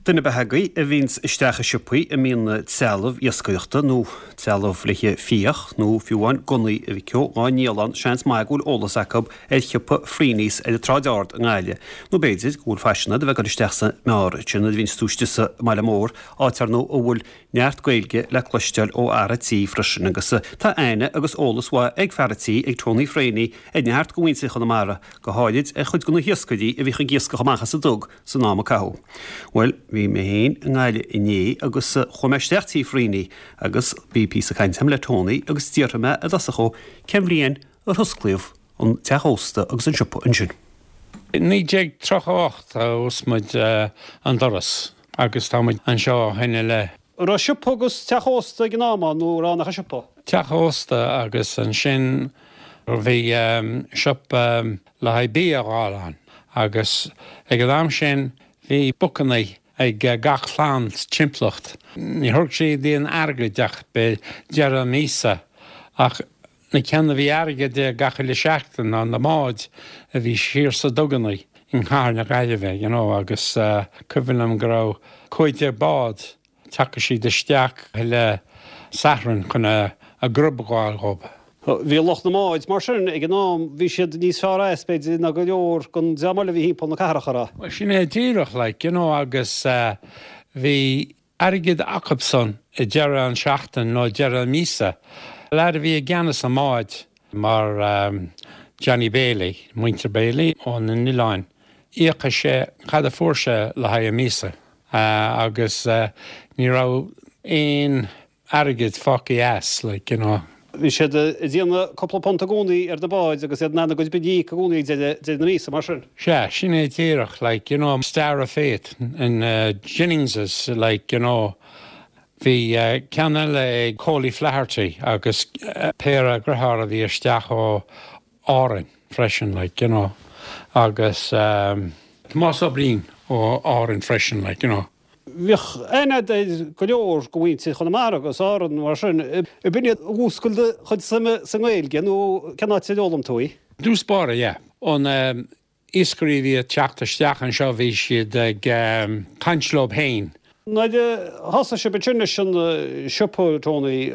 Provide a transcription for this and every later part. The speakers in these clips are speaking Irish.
Duine ar bith agaibh a bhíonns isteach i siopaí a mbíonn trealamh iascaireachta nó trealamh le haghaidh fiach nó fiú amháin gunnaí a mhic ó dhá ndíol ann seans maith go bhfuil eolas acu ar shiopa Freeney's ar an tSráid Ard i nGaillimh. Nó b'fhéidir go bhfuil faisean ort a bheith ag dul isteach sa mbeár sin nuair a bhíonns tú istigh sa mbaile mór, áit ar ndóigh a bhfuil neart Gaeilge le cloisteáil ó fhear a' tí freisin agus tá aithne agus eolas mhaith ag fear a' tí, ag Tony Freeney, ar neart de mhuintir Chonamara, go háirid ar chuid de na hiascairí a bhíodh ag iascach amach as an dug san am a caitheadh. Bhuel, bhí mé féin i nGaillimh inné agus chuaigh mé isteach tí Freeney agus bhí píosa cainte agam le Tony agus d'fhiafraigh mé i dtosach dhó cén bhliain ar hosclaíodh an teach ósta agus an siopa ansin. 1938 a oscail muid an doras agus tá muid anseo ó shin i leith. An raibh siopa agus teach ósta ag an am ann nó an raibh ann ach an siopa? Teach ósta agus ansin bhí siopa le haghaidh bia a dh'fháil ann agus ag an am sin bhí bookanna ag gach clann sa timpeallacht. Ní thabharfadh siad aon airgead ach deireadh míosa ach na ceanna a bhí airgead gach uile seachtain ná na báid a bhí siar sa duganna i gcathair na Gaillimhe you know agus cuimhin liom go raibh 15 bád Tiocfadh siad isteach chuile Satharn chun a grub a dh'fháil dhób. Bhí lucht na mbád mar sin ag an am, bhí siad níos fearr as, b'fhéidir, ná go leor den dream eile a bhí thimpeall na cathrach, an raibh? Bhuel, sin é díreach, like, you know, agus bhí airgead acubsan i deireadh an seachtain nó deireadh míosa. Leaid a bhí i gceannas na mbád mar Johnny Bailey, muintir Bailey ó na n-oileáin, íocadh sé cad a fuair sé le haghaidh an míosa. agus ní raibh aon airgead fágtha as, like, you know. Bhí siad ag déanamh cúpla punt i gcónaí ar na báid agus iad in ann a gcuid bia a íoc i gcónaí ag deireadh na míosa, mar sin. Sea, sin é díreach, like, you know, Star of Faith in Jennings's, like, you know, bhí ceann eile ag Coley Flaherty agus péire deartháir a bhí isteach ó Árainn freisin, like, you know, agus Tomás Ó Briain ó Árainn freisin, like, you know. Bhíodh aithne agat ar go leor de mhuintir Chonamara agus Árann mar sin. Ab in iad a mhúscail do chuid suime sa nGaeilge nó cén áit ar fhoghlaim tú í? I dtús báire, yeah. Ó na iascairí a bhí ag teacht isteach anseo bhí siad ag caint leo féin. Nuair a thosaigh sibh ansin leis an siopa, Tony,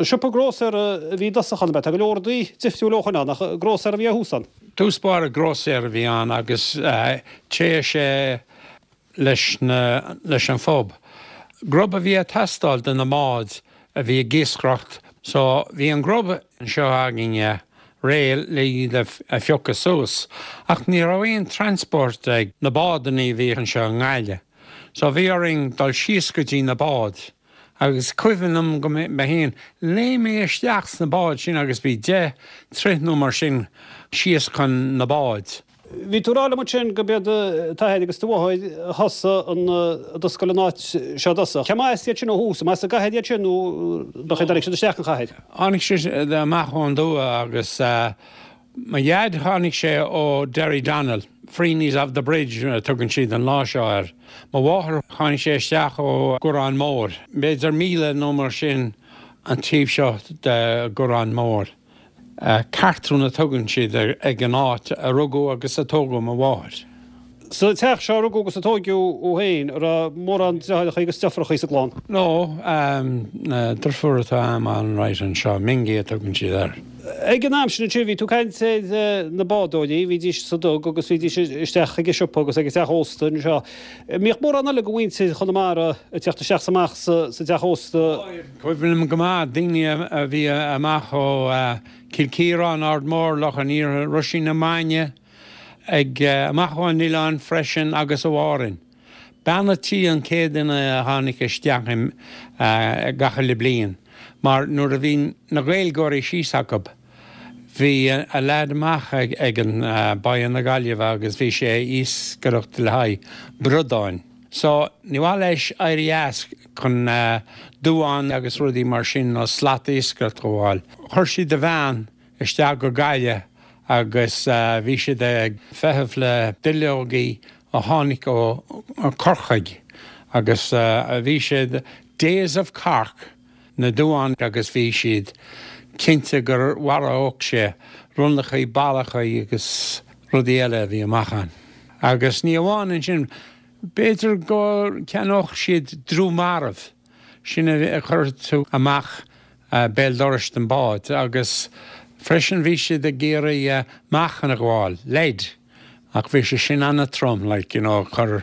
siopa grósaera a bhí i dtosach ann, ab ea? Tá go leor rudaí difriúil ó shoin ann, ach grósaera a bhí ar thús ann? Tús báire grósaera a bhí ann agus téadh sé leis na, leis an phub. Grub a bhí ag teastáil do na mbáid a bhí ag iascaireacht so bhí an grub anseo againne réidh le iad a phiocadh suas ach ní raibh aon transport ag na bádannaí a bhí anseo i nGaillimh so bhí orainn dul síos go dtí na báid agus cuimhin liom go mé féin léim mé isteach sna báid sin agus bhí 10 troigh nó mar sin síos chun na báid. Bhí tú ag rá liom ansin go b'iad t'athair agus do mháthair a thosaigh an, a d'oscail an áit seo i dtosach. Cé mba as iad sin ó thús? An as an gcathair iad sin nó ab ea dtáinig siad isteach an chathair? Tháinig siad amach ón dtuath agus mo dhaid tháinig sé ó Derrydonnell, Freeney's of the Bridge a tugann siad an lá seo air. Mo mháthair tháinig sé isteach ó Gurán Mór, b'fhéidir míle nó mar sin an taobh seo de Gurán Mór. Cartrún a tugann siad ag an áit a rugadh agus a tógadh mo mháthair. Sa teach seo a rugadh agus a tóigeadh thú féin, an raibh mórán deartháireacha agus deirfiúracha sa gclann? No, deirfiúr atá a'm alright anseo, Mingy a tugann siad air. Ag an am sin ansin, bhí tú ag caint ar na bádóirí, bhídís sa dug agus bhídís isteach ag an siopa agus ag an teach ósta anseo. Mbíodh mórán eile de mhuintir Chonamara ag teacht isteach is amach sa teach ósta? Cuimhin liom go maith daoine a bhí amach ó Chill Chiaráin, Ard Mór, Loch an Iarthair, Roisín na Maine, ag amach ón oileán freisin agus ó Árainn. Bean a' tí an chéad duine a tháinig isteach gach uile bliain mar nuair a bhí na Gaeilgeoirí síos acu bhí a leaid amach ag an Báighe na Gaillimhe agus bhí sé ag iascaireacht le haghaidh bradáin. So, ní mhaith leis éirí as chun duán agus rudaí mar sin nó slat iascaireacht a fháil. Chuir siad a bhean isteach go Gaillimh agus bhí siad ag feitheamh le duilleogaí a tháinig ó Corcaigh agus bhí siad Days of Cork na duáin agus bhí siad cinnte gur mharódh sé ronlachaí, ballachaí agus rudaí eile a bhí amach ann. Agus ní amháin ansin. B'fhéidir go gceannódh siad drú marbh, sin a chuir tú amach béal dorais den bád agus freisin bhí siad ag iarraidh meáchan a ghabháil, lead, ach bhí sé sin an-trom, like, you know, chuir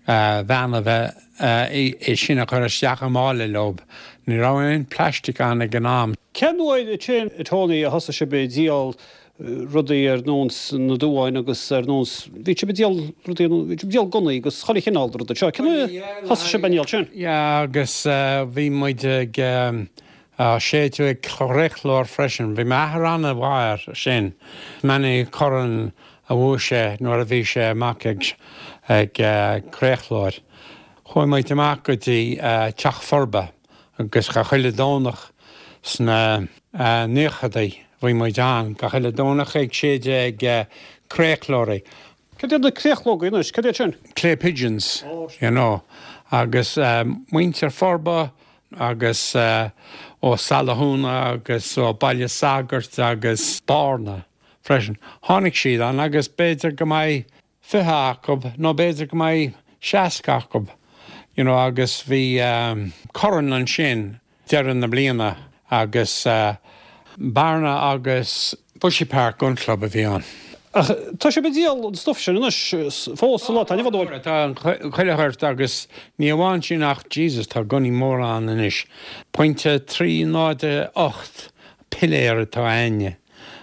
bhean a bheith é sin a chur isteach i mála leob. Ní raibh aon plastic ann ag an am. Cén uair ansin, a Tony, a thosaigh sibh ag díol rudaí ar nós na duáin agus ar nós, bhí sibh ag díol rudaí, bhí sibh ag díol gunnaí agus chuile chineál de rudaí seo. Cén uair a thosaigh sibh ag díol sin? Yeah, agus bhí muid ag séideadh ag créachlóir freisin. Bhí m'athair an-mhaith air sin. Many corn a bhuaigh sé nuair a bhí sé amach ag créachlóir. Chuaigh muid amach go dtí Teach Forba agus gach uile Domhnach sna naochadaí bhí muid ann gach uile Domhnach ag séideadh ag créachlóirí. Cad iad na créachlógaí anois? Cad iad sin? Clay pigeons, you know. Agus muintir Forba agus ó Salathúna agus ó Baile Sagairt agus Bearna freisin. Tháinig siad ann agus b'fhéidir go mbeidh 20 acu nó b'fhéidir go mbeidh 60 acu, you know, agus bhí corn ansin deireadh na bliana agus Bearna agus Bushy Park Gun Club a bhí ann. Ach tá sibh ag díol an stuif sin anois fós sa lá atá inniu ann, an bhfuil? Tá chuile shórt agus ní amháin sin ach Jesus tá gunnaí móra ann anois. Pointe 308 piléar atá a'inne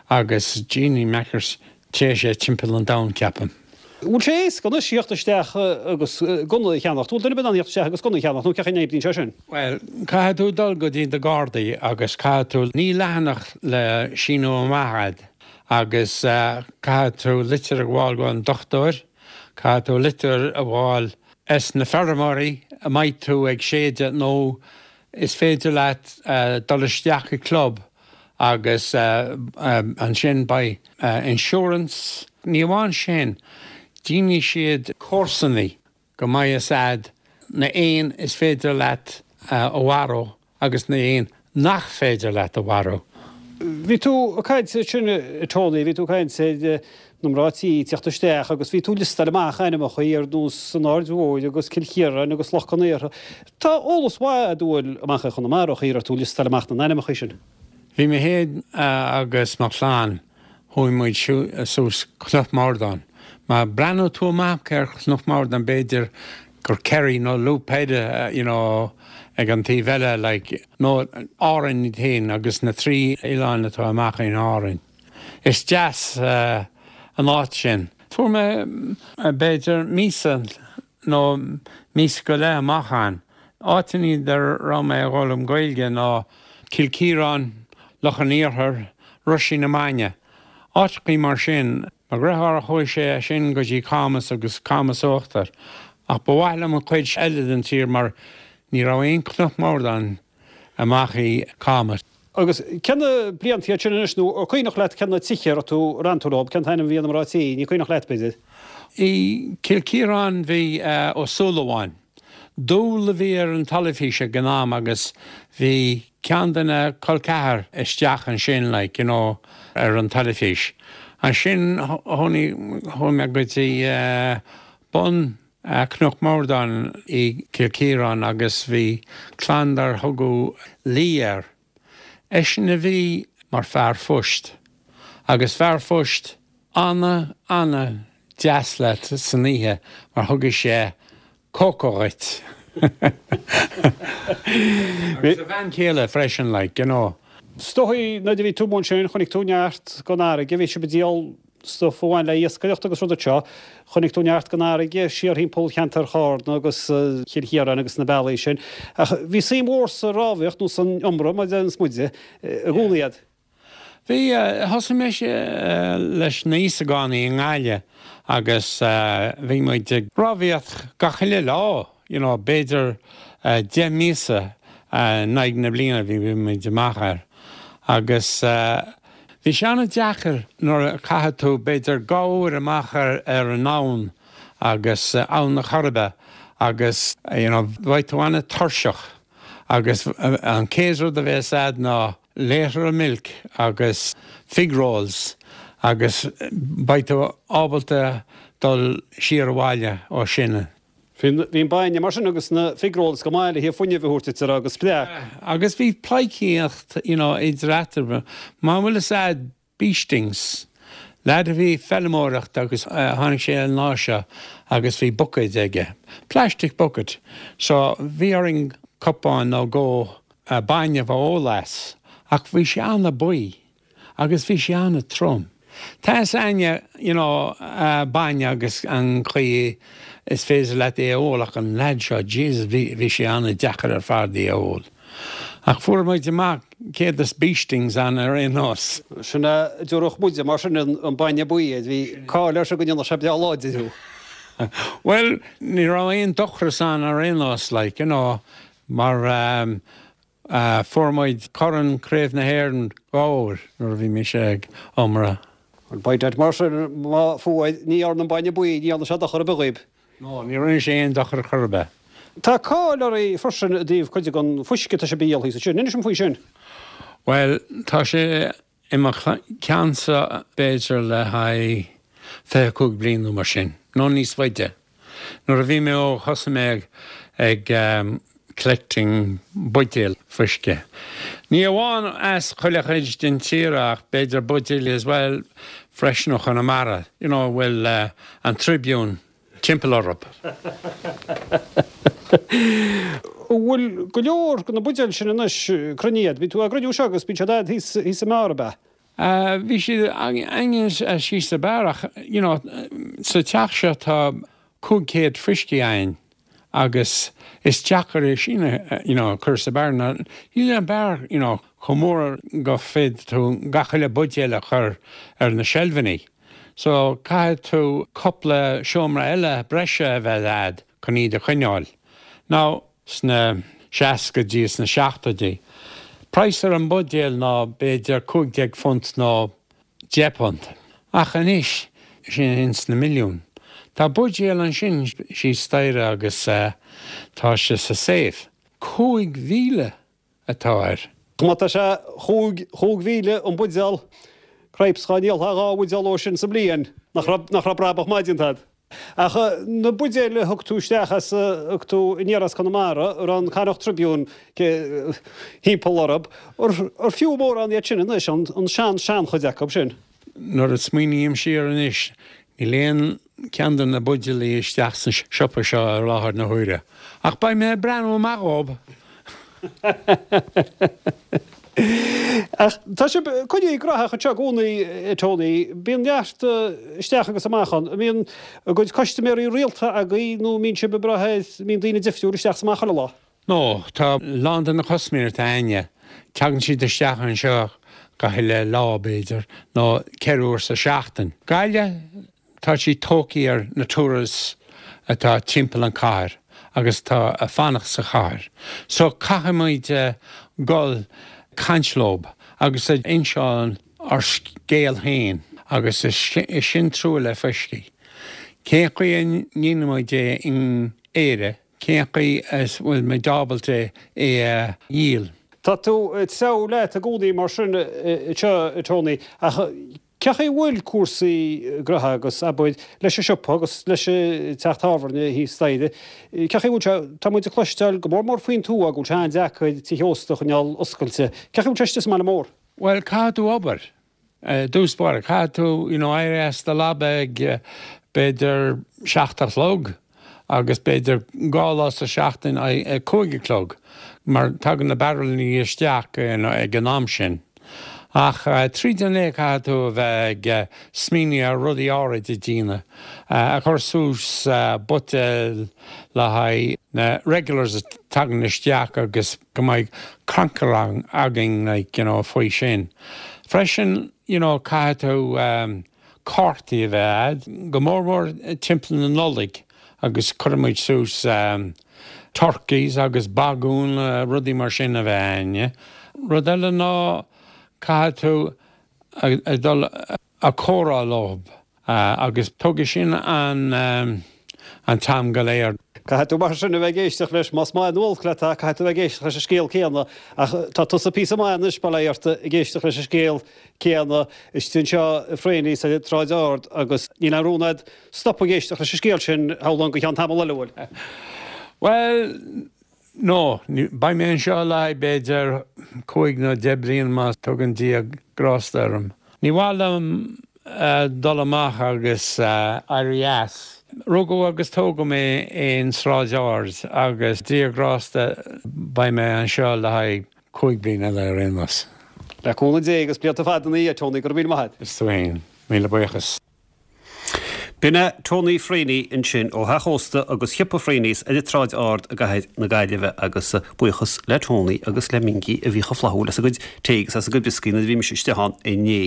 agus Jeannie Mackers téann sé timpeall an domhain ceapaim. Bhfuil sé éasca anois theacht isteach agus gunna a cheannacht? Bhfuil duine ar bith in ann theacht isteach agus gunna a cheannacht nó cén chaoi a n-oibríonn sé sin? Bhuel, caithfidh tú dul go dtí na Gardaí agus caithfidh tú, 9 leathanach le síniú amach a'd agus caithfidh tú litir a ghabháil go an dochtúir, caithfidh tú litir a fháil es na feirmeoirí a mbeidh tú ag séideadh nó is féidir leat dul isteach i club agus ansin beidh insurance. Ní amháin sin, déanfaidh siad cúrsannaí go mbeidh fhios a'd na éin is féidir leat a mharú agus na éin nach féidir leat a mharú. Bhí tú ag caint ansin a Tony, bhí tú ag caint ar na mná tí ag teacht isteach agus bhí tú ag liostáil amach ainmneacha ar nós an Aird Mhóir agus Cill Chiaráin agus Loch Con Aortha. Tá eolas mhaith a'd an bhfuil amach i Chonamara an chaoi a raibh tú ag liostáil amach na n-ainmneacha sin. Bhí mé féin agus mo chlann, chuaigh muid suas Cnoc Mordáin. Má breathnóidh tú amach ar Chnoc Mordáin b'fhéidir gur Kerry nó Loop Head you know ag an taobh eile like nó Árainn iad féin agus na trí oileán atá amach in Árainn. Is deas an áit sin. Fuair mé b'fhéidir míosa nó míosa go leith amach ann. Áiteanna a raibh mé ag foghlaim Gaeilge ná Cill Chiaráin, Loch an Iarthair, Roisín na Maine. Áiteachaí mar sin. Mo dheartháir chuaigh sé sin go dtí Camus agus Camus Uachtar. Ach ba mhaith liom an chuid eile den tír mar ní raibh aon Chnoc Mordáin amach i Camus. Agus cé na blianta iad sin anois nó an cuimhneach leat cé na tithe a raibh tú, ar fhan tú leo, cén t-ainm a bhí ar na mná tí, ní cuimhneach leat b'fhéidir? I gCill Chiaráin bhí Ó Súilleabháin. Dúil a bhí ar an teilifís ag an am agus bhí ceann de na col ceathar isteach ansin like you know ar an teilifís. Ansin chuaigh mé go dtí bun Cnoc Mordáin i gCill Chiaráin agus bhí clann dar thugadh Lee air. Eisean a bhí mar fear phoist agus fear phoist ana ana deas leat san oíche mar thugadh sé cóca dhuit. Agus a bhean chéile freisin like, you know. Is dóigh nuair a bhí tú amuigh ansin chonaic tú neart den fharraige, bhí sibh ag díol stuif a bhain le iascaireacht agus rudaí seo. Chonaic tú neart den fharraige siar thimpeall cheantar Chárna agus Chill Chiaráin agus na bealaí sin. Ach bhí suim mhór sa rámhaíocht nó san iomramh, mar a deireanns muide, i gcónaí a'd. Bhí, thosaigh mise leis na hÍosagánaigh i nGaillimh agus bhí muid ag rámhaíocht gach uile lá, you know, b'fhéidir 10 míosa in aghaidh na bliana bhí muid amach air. Agus bhí sé an-deacair nuair a chaithfidh tú b'fhéidir 2 uair amach ar an abhainn agus Abhainn na Coiribe agus, you know, bheadh tú an-tuirseach agus an chéad rud a bheas a'd ná litre of milk agus fig rolls agus beidh tú ábalta dul siar abhaile ó sin. Bhí an bainne mar sin agus na fig rolls go maith le fuinneamh a thabhairt duit agus spreac. Agus bhí pleidhcíocht you know idir eatarthu. Mar an bhfuil fhios a'd Beestings, leaid a bhí ag feilmeoireacht agus tháinig sé an lá seo agus bhí buicéid aige, plastic bucket, so bhí orainn cupán nó dhó bainne a ól as ach bhí sé ana-bhuí agus bhí sé ana-trom. Tá fhios a'inne you know bainne agus an chaoi is féidir leat é a ól ach an leaid seo, Jesus, bhí bhí sé ana-deacair ar fad é a ól. Ach fuair muid amach céard is Beestings ann ar aon nós. Sin a déarfadh muide mar sin an bainne buí air. Bhí cáil air seo go ndéanfadh sé breá láidir thú. Bhuel, ní raibh aon dochras ann ar aon nós, like, you know, mar fuair muid Corn Craobh na hÉireann dhá uair nuair a bhí mise ag iomaire. Bhuel, by dad, mar sin, má fuair, ní dhearna an bainne buí, ní dhearna sé dochar ar bith dhaoib. No, ní rinne sé aon dochar chor ar bith. Tá cáil oraibh freisin i dtaobh cuid den fuisce atá sibh a dhíol thíos ansin. Inis dom faoi sin. Bhuel, tá sé i mo cheannsa b'fhéidir le haghaidh 25 bliain nó mar sin, nó níos faide. Nuair a bhí mé óg thosaigh mé ag collecting buidéil fuisce. Ní amháin as chuile chuid den tír ach b'fhéidir buidéil as well freisin ó Chonamara, you know, a bhfuil an Tribune timpeall orthu. An bhfuil go leor de na buidéil sin anois cruinnithe agat? Bíonn tú á gcruinniú seo agus bíonn siad a'd thíos sa mbeár, ab ea? Bhí siad againn síos sa beár ach, you know, sa teach seo tá 500 fuiscí againn agus is deacair é sin a, you know, a chur sa beár. Níl an beár, you know, chomh mór go féadfaidh tú gach uile buidéal a chur ar na seilfeanna. So caithfidh tú cupla seomra eile breise a bheith a'd chun iad a choinneáil. Now sna seascaidí is sna seachtóidí, praghas ar an mbuidéal ná b'fhéidir £15 nó £10. Ach anois, sin ins na milliúin. Tá buidéal ansin síos staighre agus tá sé sa safe. 5,000 atá air. Má tá sé 5,000 an buidéal, cripes dhá ndíolfá dhá bhuidéal dhó sin sa mbliain, nach raibh brabach maith déanta agat. Ach na buidéil a thug tú isteach as, a thug tú aniar as Conamara, a raibh an Connacht Tribune thimpeall orthu, ar fiú mórán iad sin anois, an sean-seanchuid acu sin? Nuair a smaoiním siar anois, níl aon ceann de na buidéalaí isteach sa siopa seo i láthair na huaire. Ach beidh mé ag breathnú amach dhób! Ach tá sibh coinnithe graitheach anseo i gcónaí, a Tony. Bíonn neart isteach agus amach ann. An mbíonn a gcuid custaiméirí rialta agaibh nó an mbíonn sibh ag brath ar, mbíonn daoine difriúil isteach is amach chuile lá? No, tá a lán de na custaiméirí atá a'inne, tagann siad isteach anseo gach uile lá, b'fhéidir, nó ceithre uair sa seachtain. Gaillimh, tá siad tógtha ar na tourists atá timpeall an cathair agus atá ag fanacht sa chathair. So caithfimid dul caint leob agus ag inseáil ár scéal féin agus is sin trua le fuiscí. Cén chaoi a ndéanaimid é in Éire? Cén chaoi a bhfuil muid ábalta é a dhíol? Tá tú ag treabhadh leat i gcónaí mar sin anseo, a Tony, ach cén chaoi a bhfuil cúrsaí graithe agus, abair, leis an siopa agus leis an teach tábhairne thíos staighre, cén chaoi a bhfuil sé, tá muid ag cloisteáil go mór mór faoin tuath go bhfuil sé an-deacair tithe ósta a choinneáil oscailte. Cén chaoi a bhfuil sé istigh sa mbaile mór? Bhuel, caithfidh tú obair. I dtús báire, caithfidh tú you know éirí as do leaba ag b'fhéidir seacht a chlog agus b'fhéidir dhá lá sa seachtain ag cúig a chlog mar tagann na barraillíní isteach you know ag an am sin. Ach tríd an lae caithfidh tú a bheith ag smaoineamh ar rudaí áirid a dhéanamh, a chur suas buidéil le haghaidh na regulars a tagann isteach agus go mbeidh crannchur againn like you know faoi sin. Freisin you know caithfidh tú cártaí a bheith a'd, go mór mór timpeall na Nollaig agus cuireann muid suas turkeys agus bagún rudaí mar sin a bheith a'inne. Rud eile ná caithfidh tú a dul a comhrá leob agus tógfaidh sin an. an t-am go léir. Caithfidh tú mar sin a bheith ag éisteacht leis, más maith nó olc leat é, caithfidh tú a bheith ag éisteacht leis an scéal céanna. Ach tá tusa píosa maith anois, bail ó Dhia ort, ag éisteacht leis an scéal céanna istigh anseo i Freyney's ar an tSráid Ard agus níl aon rún agat stopadh ag éisteacht leis an scéal sin, shamhlóinn, go ceann tamall eile, an bhfuil? Bhuel, no, beidh mé anseo le haghaidh b'fhéidir cúig nó deich bliain má tugann Dia grásta orm. Ní mhaith liom dul amach agus éirí as. Rugadh agus tógadh mé in Sráid Ard agus Dia grásta beidh mé anseo le haghaidh cúig bliain eile ar aon nós. Le cúnamh Dé agus blianta fada ina dhiaidh, Tony, go raibh míle maith agat. Is tú féin. Míle buíochas. B'in é Tony Freyney ansin ó theach ósta agus shiopa Freyney's ar an tSráid Ard i gcathair na Gaillimhe agus buíochas le Tony agus le Mingy a bhí chomh flaithiúil as a gcuid tae agus as a gcuid brioscaí nuair a bhí mise istigh ann inné.